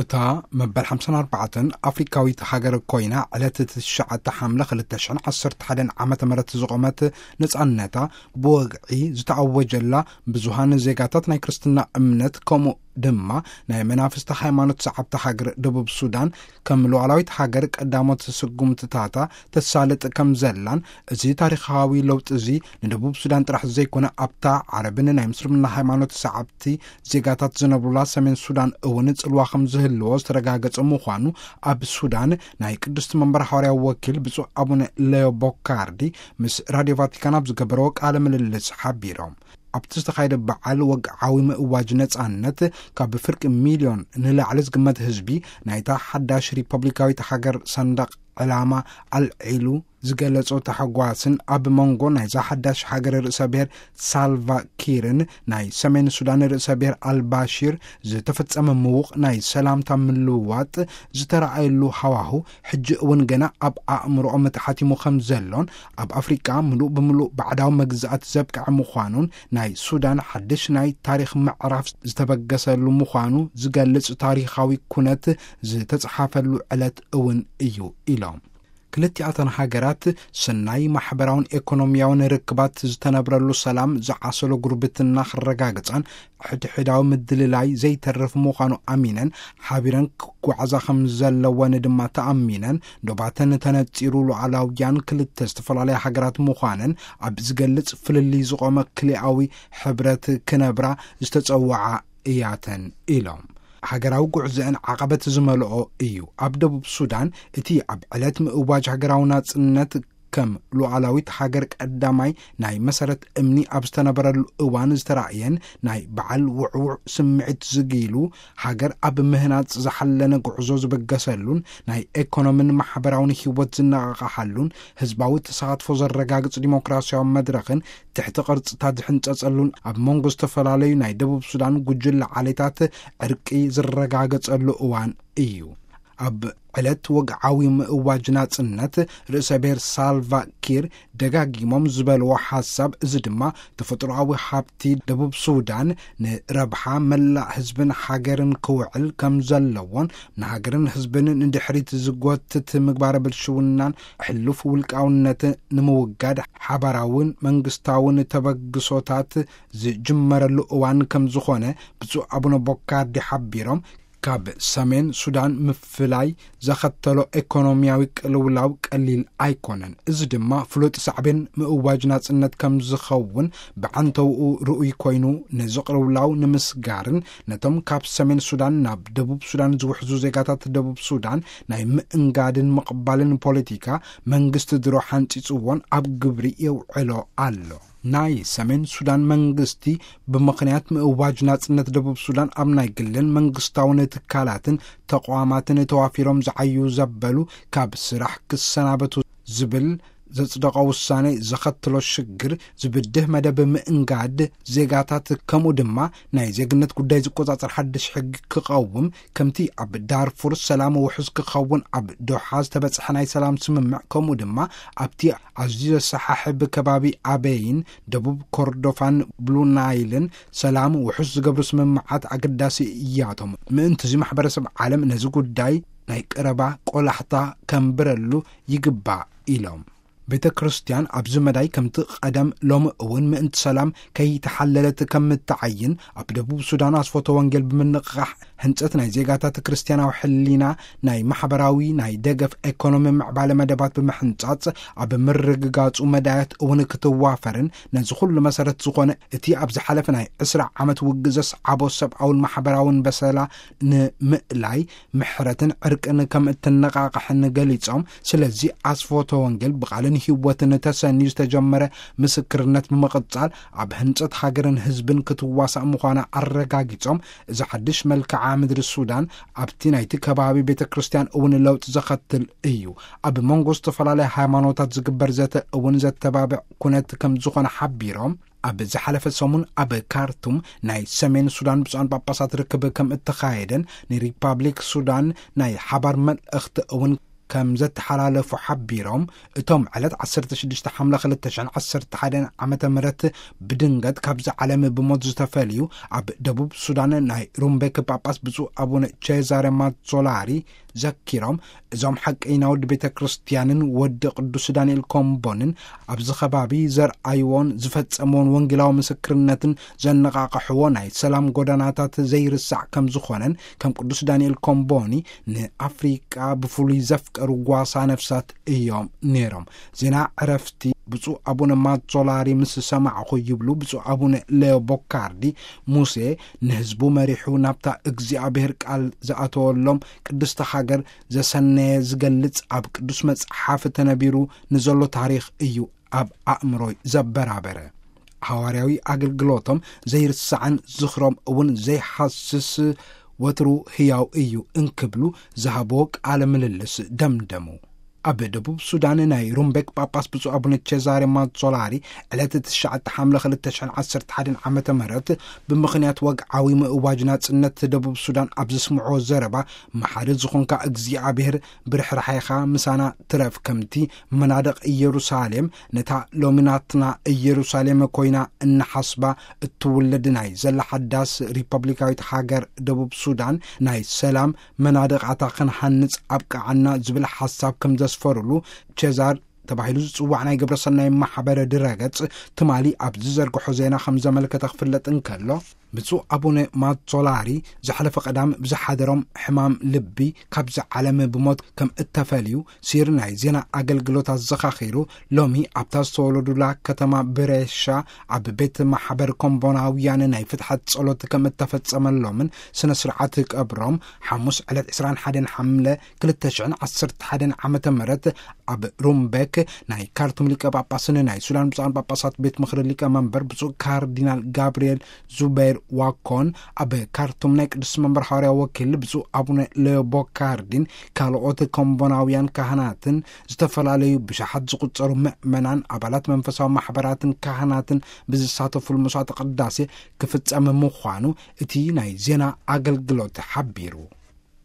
እታ መበል ሓምሳን ኣርባዕተን ኣፍሪካዊት ሃገር ኮይና፣ ዕለት ትሽዓተ ሓምለ ክልተ ሽሕን ዓሰርተ ሓደን ዓመተ ምህረት ዝቖመት፣ ነጻነታ ብወግዒ ዝተኣወጀላ፣ ብዙሃን ዜጋታት ናይ ክርስትና እምነት፣ ከምኡ ድማ ናይ መናፍስቲ ሃይማኖት ሰዓብቲ ሃገር ደቡብ ሱዳን፣ ከም ሉዓላዊት ሃገር ቀዳሞት ስጉምትታታ ተሳልጥ ከም ዘላን፣ እዚ ታሪኻዊ ለውጢ እዚ ንደቡብ ሱዳን ጥራሕ ዘይኮነ፣ ኣብታ ዓረብን ናይ ምስልምና ሃይማኖት ሰዓብቲ ዜጋታት ዝነብሩላ ሰሜን ሱዳን እውን ጽልዋ ከም ዝህልዎ ዝተረጋገጸ ምዃኑ፣ ኣብ ሱዳን ናይ ቅድስቲ መንበር ሓዋርያዊ ወኪል ብፁዕ ኣቡነ ሌዮ ቦካርዲ ምስ ራድዮ ቫቲካን ኣብ ዝገበረዎ ቃለ ምልልስ ሓቢሮም። ኣብቲ ዝተኻየደ በዓል ወግዓዊ ምእዋጅ ነጻነት፣ ካብ ፍርቂ ሚልዮን ንላዕሊ ዝግመት ህዝቢ ናይታ ሓዳሽ ሪፐብሊካዊት ሃገር ሰንደቕ ዕላማ ኣልዒሉ ዝገለጾ ታሕጓስን፣ ኣብ መንጎ ናይዛ ሓዳሽ ሃገር ርእሰ ብሔር ሳልቫ ኪርን ናይ ሰሜን ሱዳን ርእሰ ብሔር ኣልባሺር ዝተፈጸመ ምዉቕ ናይ ሰላምታ ምልውዋጥ ዝተረኣየሉ ሃዋሁ፣ ሕጂ እውን ገና ኣብ ኣእምሮኦም ተሓቲሙ ከም ዘሎን፣ ኣብ ኣፍሪቃ ምሉእ ብምሉእ ባዕዳዊ መግዛእቲ ዘብቅዐ ምዃኑን፣ ናይ ሱዳን ሓድሽ ናይ ታሪኽ ምዕራፍ ዝተበገሰሉ ምዃኑ ዝገልጽ ታሪኻዊ ኩነት ዝተጽሓፈሉ ዕለት እውን እዩ ኢሎም። ክልቲኣተን ሃገራት ሰናይ ማሕበራውን ኤኮኖሚያውን ርክባት ዝተነብረሉ፣ ሰላም ዝዓሰሎ ጉርብትና ክረጋግጻን ሕድሕዳዊ ምድልላይ ዘይተርፍ ምዃኑ ኣሚነን፣ ሓቢረን ክጓዓዛ ከም ዘለወን ድማ ተኣሚነን፣ ዶባተን ተነጺሩ ሉዓላውያን ክልተ ዝተፈላለያ ሃገራት ምዃነን ኣብ ዝገልጽ ፍልልይ ዝቖመ ክልኣዊ ሕብረት ክነብራ ዝተጸውዓ እያተን ኢሎም። ሃገራዊ ጉዕዞአን ዓቐበት ዝመልኦ እዩ። ኣብ ደቡብ ሱዳን እቲ ኣብ ዕለት ምእዋጅ ሃገራዊ ናጽነት ከም ሉዓላዊት ሃገር ቀዳማይ ናይ መሰረት እምኒ ኣብ ዝተነበረሉ እዋን ዝተራእየን ናይ በዓል ውዕውዕ ስምዒት ዝጊሉ፣ ሃገር ኣብ ምህናጽ ዝሓለነ ጉዕዞ ዝበገሰሉን ናይ ኤኮኖምን ማሕበራውን ህይወት ዝነቓቕሓሉን ህዝባዊ ተሳትፎ ዘረጋግጽ ዲሞክራሲያዊ መድረኽን ትሕቲ ቅርጽታት ዝሕንጸጸሉን ኣብ መንጎ ዝተፈላለዩ ናይ ደቡብ ሱዳን ጉጅለ ዓሌታት ዕርቂ ዝረጋገጸሉ እዋን እዩ። ኣብ ዕለት ወግዓዊ ምእዋጅ ናጽነት ርእሰ ብሔር ሳልቫ ኪር ደጋጊሞም ዝበልዎ ሓሳብ፣ እዚ ድማ ተፈጥሮኣዊ ሃብቲ ደቡብ ሱዳን ንረብሓ መላእ ህዝብን ሃገርን ክውዕል ከም ዘለዎን፣ ንሃገርን ህዝብን ንድሕሪት ዝጎትት ምግባረ ብልሽውናን ሕሉፍ ውልቃውነትን ንምውጋድ ሓባራውን መንግስታውን ተበግሶታት ዝጅመረሉ እዋን ከም ዝኾነ ብፁዕ ኣቡነ ቦካርዲ ሓቢሮም፣ ካብ ሰሜን ሱዳን ምፍላይ ዘኸተሎ ኤኮኖሚያዊ ቅልውላው ቀሊል ኣይኮነን። እዚ ድማ ፍሉጥ ሳዕቤን ምእዋጅ ናጽነት ከም ዝኸውን ብዓንተውኡ ርኡይ ኮይኑ፣ ነዚ ቅልውላው ንምስጋርን ነቶም ካብ ሰሜን ሱዳን ናብ ደቡብ ሱዳን ዝውሕዙ ዜጋታት ደቡብ ሱዳን ናይ ምእንጋድን ምቕባልን ፖለቲካ መንግስቲ ድሮ ሓንጺጽዎን ኣብ ግብሪ የውዕሎ ኣሎ። ናይ ሰሜን ሱዳን መንግስቲ፣ ብምኽንያት ምእዋጅ ናጽነት ደቡብ ሱዳን፣ ኣብ ናይ ግልን መንግስታውን ትካላትን ተቋማትን ተዋፊሮም ዝዓዩ ዘበሉ ካብ ስራሕ ክሰናበቱ ዝብል ዘጽደቐ ውሳኔ ዘኸትሎ ሽግር ዝብድህ መደብ ምእንጋድ ዜጋታት፣ ከምኡ ድማ ናይ ዜግነት ጉዳይ ዝቆጻጸር ሓድሽ ሕጊ ክቐውም፣ ከምቲ ኣብ ዳርፉር ሰላም ውሑስ ክኸውን ኣብ ዶሓ ዝተበጽሐ ናይ ሰላም ስምምዕ፣ ከምኡ ድማ ኣብቲ ኣዝዩ ዘሰሓሕብ ከባቢ ኣበይን ደቡብ ኮርዶፋን ብሉ ናይልን ሰላም ውሑስ ዝገብሩ ስምምዓት ኣገዳሲ እያቶም። ምእንትዚ ማሕበረሰብ ዓለም ነዚ ጉዳይ ናይ ቀረባ ቆላሕታ ከንብረሉ ይግባእ ኢሎም። ቤተ ክርስቲያን ኣብዚ መዳይ ከምቲ ቀደም ሎሚ እውን ምእንቲ ሰላም ከይተሓለለት ከም እትዓይን፣ ኣብ ደቡብ ሱዳን ኣስፎተ ወንጌል ብምንቕቓሕ ህንጸት ናይ ዜጋታት ክርስትያናዊ ሕሊና፣ ናይ ማሕበራዊ፣ ናይ ደገፍ፣ ኤኮኖሚ ምዕባለ መደባት ብምሕንጻጽ፣ ኣብ ምርግጋጹ መዳያት እውን ክትዋፈርን፣ ነዚ ኩሉ መሰረት ዝኾነ እቲ ኣብ ዝሓለፈ ናይ ዕስራ ዓመት ውግዘ ሰዓቦ ሰብኣውን ማሕበራውን በሰላ ንምእላይ ምሕረትን ዕርቅን ከም እትነቓቕሕን ገሊጾም፣ ስለዚ ኣስፎተ ወንጌል ብቓልን ህይወትን ተሰንዩ ዝተጀመረ ምስክርነት ብምቕጻል፣ ኣብ ህንጸት ሃገርን ህዝብን ክትዋሳእ ምዃና ኣረጋጊጾም፣ እዚ ሓድሽ መልክዓ ምድሪ ሱዳን ኣብቲ ናይቲ ከባቢ ቤተ ክርስቲያን እውን ለውጢ ዘኸትል እዩ። ኣብ መንጎ ዝተፈላለያ ሃይማኖታት ዝግበር ዘተ እውን ዘተባብዕ ኩነት ከም ዝኾነ ሓቢሮም፣ ኣብ ዝሓለፈ ሰሙን ኣብ ካርቱም ናይ ሰሜን ሱዳን ብፁዓን ጳጳሳት ርክብ ከም እተኻየደን፣ ንሪፓብሊክ ሱዳን ናይ ሓባር መልእኽቲ እውን ከም ዘተሓላለፉ ሓቢሮም፣ እቶም ዕለት ዓሰርተ ሽዱሽተ ሓምለ ክልተ ሽሕን ዓሰርተ ሓደን ዓመተ ምህረት ብድንገት ካብዚ ዓለም ብሞት ዝተፈልዩ፣ ኣብ ደቡብ ሱዳን ናይ ሩምቤክ ጳጳስ ብፁዕ ኣቡነ ቼዛሬ ማዞላሪ ዘኪሮም፣ እዞም ሓቀይና ወዲ ቤተ ክርስቲያንን ወዲ ቅዱስ ዳንኤል ኮምቦንን ኣብዚ ከባቢ ዘርኣይዎን ዝፈጸምዎን ወንጌላዊ ምስክርነትን ዘነቓቕሕዎ ናይ ሰላም ጎዳናታት ዘይርሳዕ ከም ዝኾነን፣ ከም ቅዱስ ዳንኤል ኮምቦኒ ንኣፍሪቃ ብፍሉይ ዘፍቀሩ ጓሳ ነፍሳት እዮም ነይሮም። ዜና ዕረፍቲ ብፁዕ ኣቡነ ማዞላሪ ምስ ሰማዕኹ፣ ይብሉ ብፁዕ ኣቡነ ሌዮ ቦካርዲ፣ ሙሴ ንህዝቡ መሪሑ ናብታ እግዚኣብሔር ቃል ዝኣተወሎም ቅድስቲ ሃገር ዘሰነየ ዝገልጽ ኣብ ቅዱስ መጽሓፍ ተነቢሩ ንዘሎ ታሪኽ እዩ ኣብ ኣእምሮይ ዘበራበረ። ሃዋርያዊ ኣገልግሎቶም ዘይርሳዕን ዝኽሮም እውን ዘይሃስስ ወትሩ ህያው እዩ እንክብሉ ዝሃብዎ ቃለ ምልልስ ደምደሙ። ኣብ ደቡብ ሱዳን ናይ ሩምቤክ ጳጳስ ብፁዕ ኣቡነ ቼዛሬ ማዞላሪ ዕለት ትሽዓተ ሓምለ ክልተ ሽሕን ዓሰርተ ሓደን ዓመተ ምህረት ብምኽንያት ወግዓዊ ምእዋጅ ናጽነት ደቡብ ሱዳን ኣብ ዘስምዕዎ ዘረባ፣ መሓሪ ዝኾንካ እግዚኣብሔር ብርሕራሕኻ ምሳና ትረፍ፣ ከምቲ መናድቕ ኢየሩሳሌም ነታ ሎሚ ናትና ኢየሩሳሌም ኮይና እናሓስባ እትውለድ ናይ ዘላ ሓዳስ ሪፐብሊካዊት ሃገር ደቡብ ሱዳን ናይ ሰላም መናድቓታ ክንሃንጽ ኣብቅዓና ዝብል ሓሳብ ከም ዘስፈሩሉ ቼዛር ተባሂሉ ዝጽዋዕ ናይ ግብረ ሰናይ ማሕበረ ድረገጽ ትማሊ ኣብ ዝዘርግሖ ዜና ከም ዘመልከተ ክፍለጥ እንከሎ፣ ብፁዕ ኣቡነ ማዞላሪ ዝሓለፈ ቀዳም ብዝሓደሮም ሕማም ልቢ ካብዚ ዓለም ብሞት ከም እተፈልዩ ሲር ናይ ዜና ኣገልግሎት ኣዘኻኺሩ፣ ሎሚ ኣብታ ዝተወለዱላ ከተማ ብሬሻ ኣብ ቤት ማሕበር ኮምቦናውያን ናይ ፍትሓት ጸሎት ከም እተፈጸመሎምን ስነ ስርዓት ቀብሮም ሓሙስ ዕለት ዕስራን ሓደን ሓምለ ክልተ ሽሕን ዓሰርተ ሓደን ዓመተ ምህረት ኣብ ሩምቤክ ናይ ካርቱም ሊቀ ጳጳስን ናይ ሱዳን ብፁዓን ጳጳሳት ቤት ምኽሪ ሊቀ መንበር ብፁዕ ካርዲናል ጋብርኤል ዙበይር ዋኮን፣ ኣብ ካርቱም ናይ ቅዱስ መንበር ሃዋርያ ወኪል ብፁዕ ኣቡነ ሌዮ ቦካርዲን ካልኦት ኮምቦናውያን ካህናትን ዝተፈላለዩ ብሽሓት ዝቁጸሩ ምእመናን ኣባላት መንፈሳዊ ማሕበራትን ካህናትን ብዝሳተፉሉ መስዋዕተ ቅዳሴ ክፍጸም ምዃኑ እቲ ናይ ዜና ኣገልግሎት ሓቢሩ።